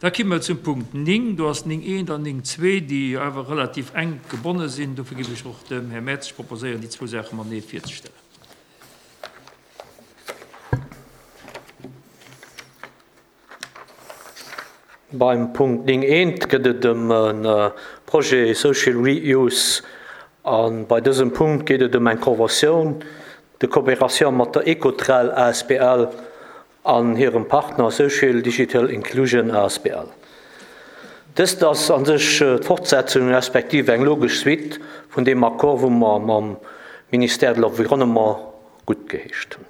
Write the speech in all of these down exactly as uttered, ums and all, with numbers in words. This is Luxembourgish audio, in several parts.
Da komme mer zum Punkt néng. Do ass néng eent an néng zwee, déi awer relativ enk gebonne sinn. Dofir géif ech och dem Här Mertzig proposéieren, déi zwou Saache matenee virzestellen. Beim Punkt néng eent gëtt et ëm e Projet Social Reuse. A bei dësem Punkt geet et ëm eng Convention de coopération mat der Ecotrel A S B L an hirem Partner Social Digital Inclusion A S B L. Dëst ass an sech d'Fortsetzung respektiv eng logesch Suite vun deem Accord, wou mer mam Ministère de l'Environnement guttgeheescht hunn.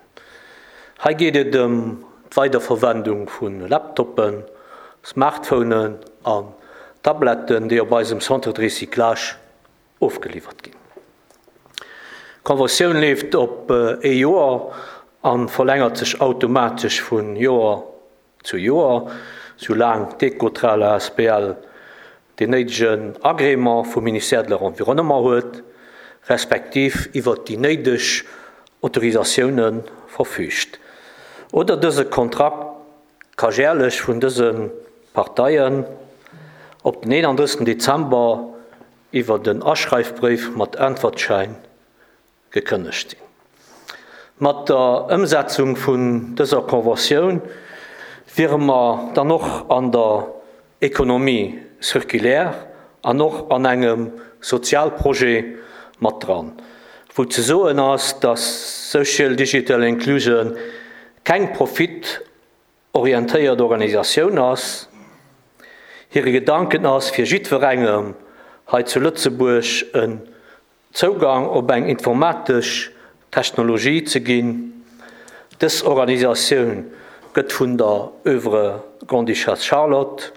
Hei geet et ëm d'Weiderverwendung vun Laptoppen, Smartphonen an Tabletten, déi op eisem Centre de Recyclage ofgeliwwert ginn. D'Konventioun leeft op ee Joer an verlängert sech automatesch vun Joer zu Joer, soulaang d'Ecotrel A S B L den néidegen Agrément vum Ministère de l'Environnement huet, respektiv iwwer déi néideg Autorisatiounen verfügt. Oder dëse Kontrakt ka jährlech vun dëse Parteien op den eenunddrëssigsten Dezember iwwer den Aschreifbrief mat Äntwertschein gekënnegt sinn. Mat der Ëmsetzung vun dëser Konventioun wiere mer dann och an der Économie circulaire an och an engem Sozialprojet mat dran, wou ze soen ass, dass Social Digital Inclusion keng profitorientéiert Organisatioun ass. Hire Gedanken ass, fir jiddwerengem hei zu Lëtzebuerg en Zougang op eng informatesch Technologie ze ginn. Dës Organisatioun gëtt vun der Œuvre Grande-Duchesse Charlotte,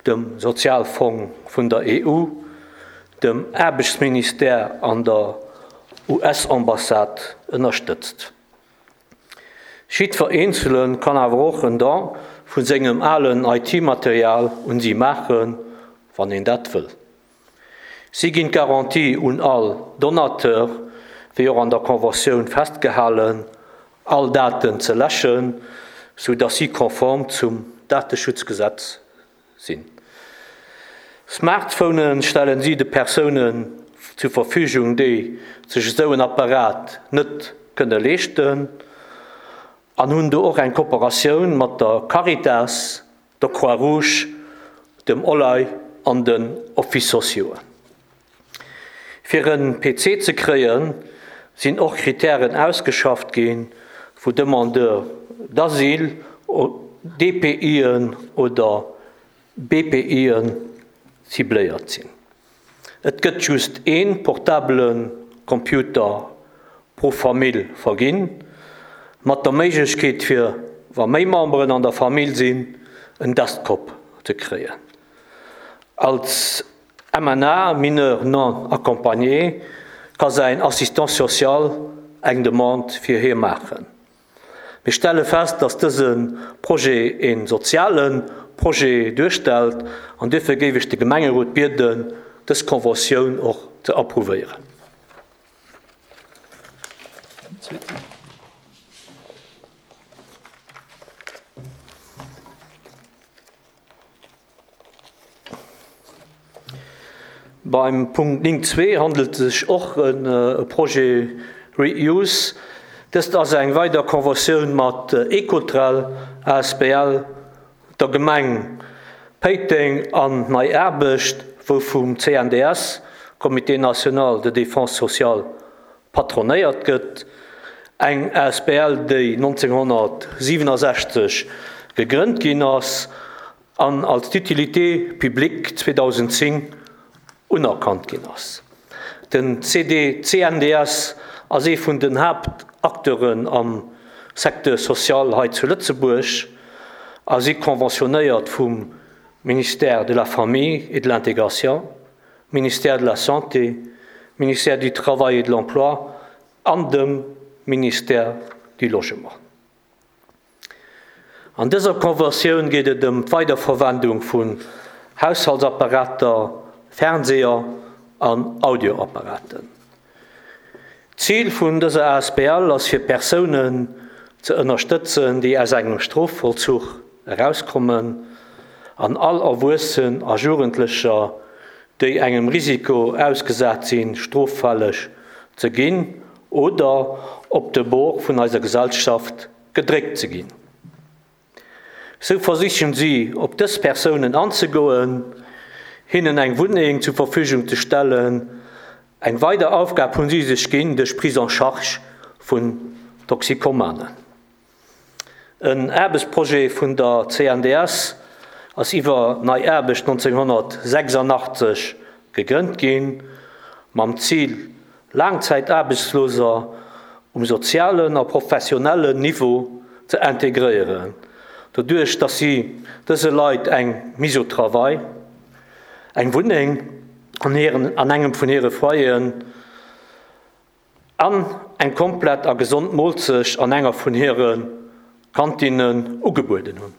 dem Sozialfonds vun der E U, dem Aarbechtsministère an der U S-Ambassade ënnerstëtzt. Jiddwer Eenzele kann awer och en Don vun sengem alen I T-Material un si maachen, wann een dat wëll. Si ginn d'Garantie un all Donateur, wéi och an der Konventioun festgehalen, all Daten ze läschen, sou dass si konform zum Dateschutzgesetz sinn. Smartphonen stellen si de Persounen zur Verfügung, déi sech esou en Apparat net kënne leeschten, an hunn do och eng Kooperatioun mat der Caritas, der Croix-Rouge, dem O L A I an den Office sociaux. Fir en P C ze kréien, sinn och Kritären ausgeschafft ginn, wou Demandeur d'Asyl, D P Ien oder B P Ien cibléiert sinn. Et gëtt just een portablen Computer pro Famill verginn, mat der Méiglechkeet fir, wa méi Memberen an der Famill sinn, en Desktop ze kréien. Als M N A, mineur non accompagné, ka säin Assistant social eng Demande fir hie maachen. Wir stelle fest, dass dëse Projet een sozialen Projet duerstellt an dofir géif ech de Gemengerot bieden, dës Konventioun och ze approuvéieren. Beim Punkt néng zwee handelt es sich och ëm e Projet Reuse. Dëst ass eng weider Konventioun mat Ecotrel, A S B L, der Gemeng Péiteng an Nei Aarbecht, wou vum C N D S, Comité National de Défense Sociale, patronéiert gëtt. Eng A S B L, déi neunzehnhundertsiebenundsechzig gegrënnt ginn ass an als d'Utilité publique zweitausendzehn unerkannt ginn ass. Den C D, C N D S ass ee vun den Hauptakteuren am Secteur social hei zu Lëtzebuerg a si konventionéiert vum Ministère de la Famille et de l'Intégration, Ministère de la Santé, Ministère du Travail et de l'Emploi an dem Ministère du Logement. An dëser Konventioun geet et ëm d'Weiderverwendung vun Haushaltsapparater, Fernseher an Audioapparaten. Ziel vun dëser A S B L ass fir Persounen ze ënnerstëtzen, déi aus engem Strofvollzuch herauskommen an all Erwuessen a Jugendlecher, déi engem Risiko ausgesat sinn, stroffälleg ze ginn oder op de Bord vun eiser Gesellschaft gedréckt ze ginn. Sou versichen si, op dës Persounen anzegoen, hinnen eng Wunneng zur Verfügung ze stellen. Eng weider Aufgab hunn si sech ginn duerch Prise en charge vun Toxikomanen. En Aarbechtsprojet vun der C N D S ass iwwer Nei Aarbecht nonzénghonnertsechsandachtzeg gegrënnt ginn, mam Zil, Laangzäitaarbechtsloser um sozialen a professionellen Niveau ze integréieren, doduerch dass si dëse Leit eng Mise au travail, eng Wunneng an hiren, an engem vun hire Foyeren an eng komplett a gesond Moolzecht an enger vun hire Kantinnen ugebueden hunn.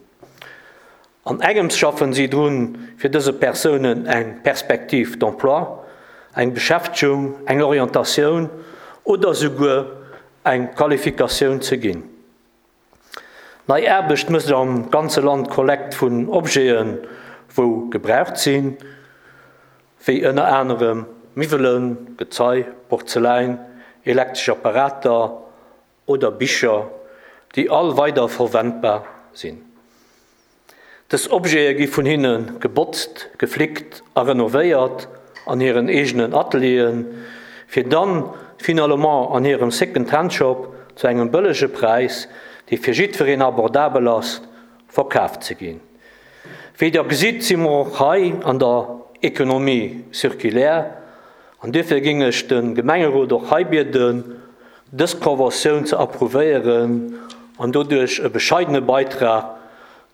An engems schaffen si drun, fir dëse Persounen eng Perspective d'emploi, eng Beschäftegung, eng Orientatioun oder souguer eng Qualifikatioun ze ginn. Nei Aarbecht mécht am ganze Land Kollekt vun Objeten, wou gebraucht sinn, wéi ënner anerem Miwwelen, Gezei, Porzeläin, elektresch Apparater oder Bicher, déi all weider verwendbar sinn. Dës Objete gi vun hinne gebotzt, geflickt a renovéiert an hiren eegenen Atelieren, fir dann finalement an hirem Second-Hand-Shop zu engem bëllege Präis, dee fir jiddwereen abordabel ass, verkaaft ze ginn. Wéi der gesitt, si mer och hei an der Économie circulaire, an duerfir géing ech de Gemengerot och hei bieden, dës Conventioun ze approuvéieren an doduerch e bescheidene Beitrag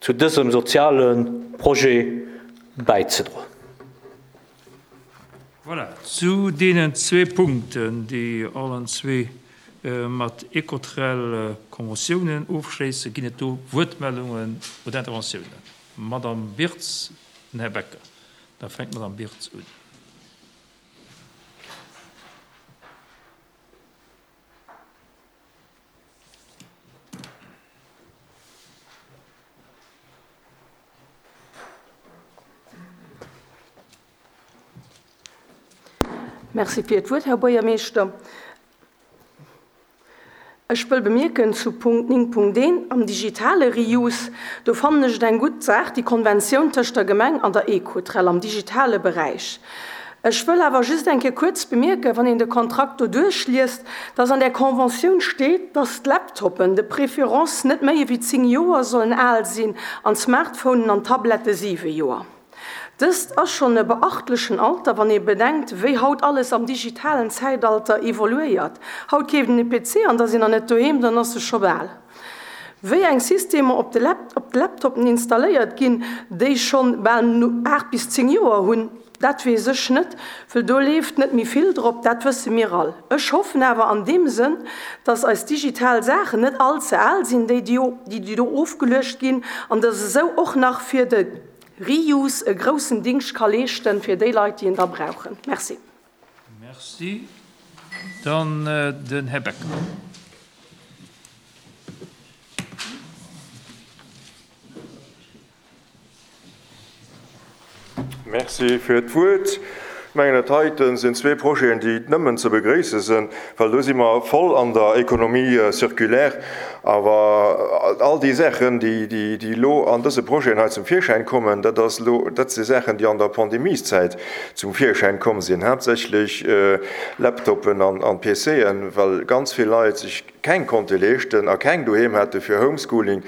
zu dësem soziale Projet bäizedroen. Voilà, zu deenen zwee Punkten, déi allen zwee mat Ecotrel Konventiounen ofschléissen, ginn et do Wuertmeldungen oder Interventiounen? Madame Birtz, den Här Becker. Da fänkt d'Madame Birtz un. Merci fir d'Wuert, Här Buergermeeschter. Ech wëll bemierken zu Punkt néng Punkt eent am digitale Reuse, do fannen ech et eng gutt Saach, déi Konventioun tëscht der Gemeng an der Ecotrel am digitale Beräich. Ech wëll awer just eng Kéier kuerz bemierken, wann een de Kontrakt do duerchliest, dass an där Conventioun steet, dass d'Laptoppen de préférence net méi ewéi zéng Joer sollen al sinn an d'Smartphonen an Tablette siwe Joer. Dëst ass schonn e beachtlechen Alter, wann ee bedenkt, wéi haut alles am digitalen Zäitalter evoluéiert. Haut keeft een e P C an da sinn nach net doheem, dann ass e scho bal. Wéi eng Systemer op de op de Laptoppen installéiert ginn, déi schonn bal aacht bis zéng Joer hunn, dat weess ech net, well do leeft net méi vill drop, dat wësse mir all. Ech hoffen awer an deem Sënn, dass eis digital Saachen net all ze al sinn, déi déi do ofgeluecht ginn, an dass esou och nach fir de Reuse e groussen Dingscht ka leeschten fir déi Leit, déi en da brauchen. Merci. Merci. Dann den Här Becker. Merci fir d'Wuert. Ech mengen, dat heiten sinn zwee Projeten, déi nëmmen ze begréisse sinn, well do si mer voll an der Économie circulaire. Awer all déi Saachen, déi, déi, déi elo an dëse Projeten hei zum Virschäin kommen, dat ass elo, dat si Saachen, déi an der Pandemieszäit zum Virschäin komm sinn, haaptsächlech Laptoppen an, an P Cen, well ganz vill Leit sech keng konnte leeschten a keng doheem hate fir Homeschooling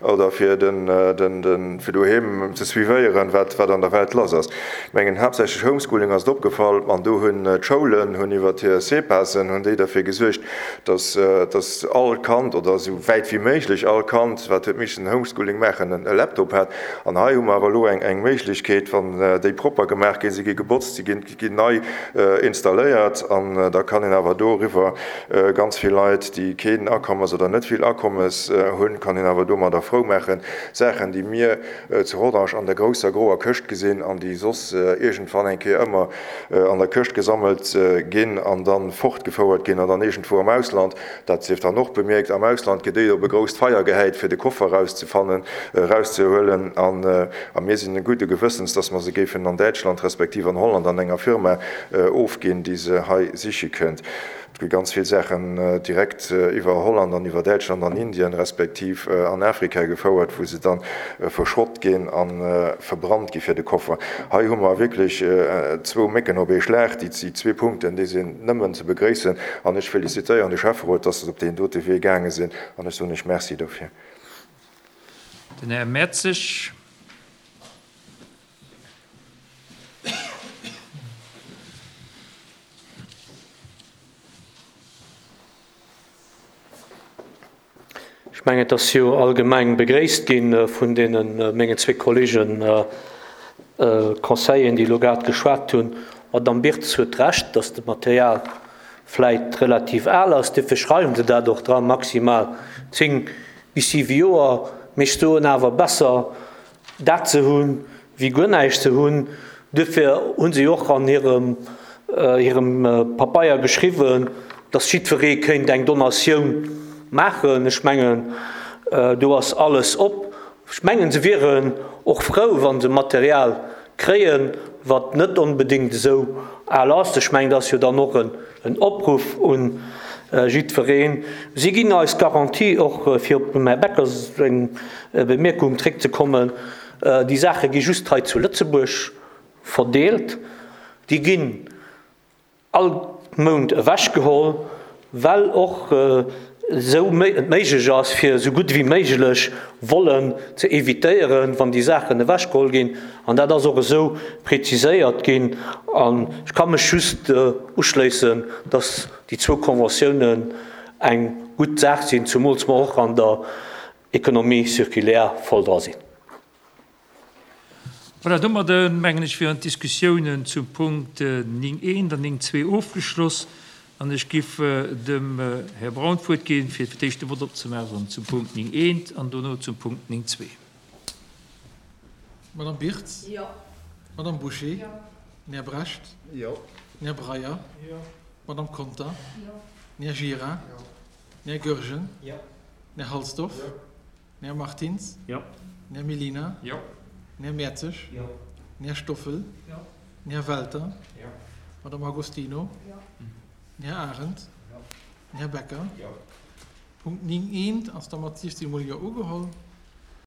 oder fir den, den, den, fir doheem ze suivéieren, wat, wat an der Welt lass ass. Ech mengen, haaptsächlech Homeschooling ass et opgefall an do hunn d'Schoulen hunn iwwer hir C P A Sen hunn déi derfir gesuergt, dass, dass all Kand oder esou wäit wéi méiglech all Kand, wat huet missen Homeschooling maachen, e Laptop hat. An hei hu mer awer elo eng, eng Méiglechkeet, wann déi propper gemaach ginn, si gi gebotzt, si ginn, ginn nei installéiert an da kann een awer doriwwer ganz vill Leit, déi keen Akommes oder net vill Akommes hunn, kann een awer domadder frou maachen. Saachen, déi mir zu Rodange an der grousser groer Këscht gesinn an déi soss iergendwann eng Kéier ëmmer an der Këscht gesammelt ginn an da fortgefouert ginn an dann iergendwou am Ausland, dat sief dann och bemierkt, am Ausland gëtt déi op e grousst Feier gehäit, fir de Koffer erauszefannen, erauszehuelen an a mir sinn gudde Gewëssens, dass mer se géifen an Däitschland respektiv an Holland an enger Firma ofginn, déi se hei siche kënnt. Et gi ganz vill Saachen direkt iwwer Holland an iwwer Däitschland an Indien respektiv an Afrika gefouert, wou se dann verschrott ginn a verbrannt gi fir de Koffer. Hei hu mer wierklech zwou Mécken op ee Schlag. Déi zwee Punkten, déi sinn nëmmen ze begréissen an ech felicitéieren de Schäfferot, dass se op deen dote Wee gaange sinn an ech soen Iech Merci dofir. Den Här Mertzig. Ech mengen, et ass jo allgemeng begréisst gi vun deene mengen zwee Kollegen Conseilleren, déi elo grad geschwat hunn. D'Madame Birtz huet Recht, dass de Material vläit relativ al ass. Duerfir schreiwen se dat och dran, maximal zéng bis siwe Joer. Mee ech soen awer, besser dat ze hunn, wéi guer näischt ze hunn. Duerfir hu se och an hirem hirem Papeier geschriwwen, dass jiddweree kéint eng Donatioun maachen. Ech mengen, do ass alles op. Ech mengen, se wieren och frou, wa se Material kréien, wat net onbedéngt esou al ass. Ech mengen, dat ass jo dann och en Opruff un jiddwereen. Si ginn eis d'Garantie, och fir op dem Här Becker seng Bemierkung zréckzekommen, déi Saache gi just hei zu Lëtzebuerg verdeelt. Déi ginn all Mount ewechgeholl, well och esou et méiglech ass, fir esou gutt ewéi méiglech Vollen ze evitéieren, wann déi Saachen ewechgeholl ginn. An dat ass och esou preziséiert ginn. An ech ka mech just uschléissen, dass déi zwou Conventiounen eng gutt Saach sinn, zumools mer och an der Économie circulaire voll dra sinn. Voilà, domadde mengen ech wieren d'Diskussiounen zum Punkt néng eent an néng zwee ofgeschloss. An ech giff dem Här Braun d'Wuert ginn, fir fir d'éischt de Vott opzemaachen zum Punkt néng eent an dono zum Punkt néng zwee. Madame Birtz? Jo. Madame Bouché? Jo. Den Här Brecht? Jo. Den Här Breyer? Jo. Madame Conter? Jo. Den Här Gira? Jo. Den Här Goergen? Jo. Den Här Halsdorf? Jo. Den Här Martins? Jo. Den Här Mellina? Jo. Den Här Mertzig? Jo. Den Här Stoffel? Jo. Den Här Welter? Jo. Madame Agostino? Jo. Den Här Arendt? Jo. Den Här Becker? Jo. Punkt néng eent ass da mat siwzeg mol Jo ugeholl.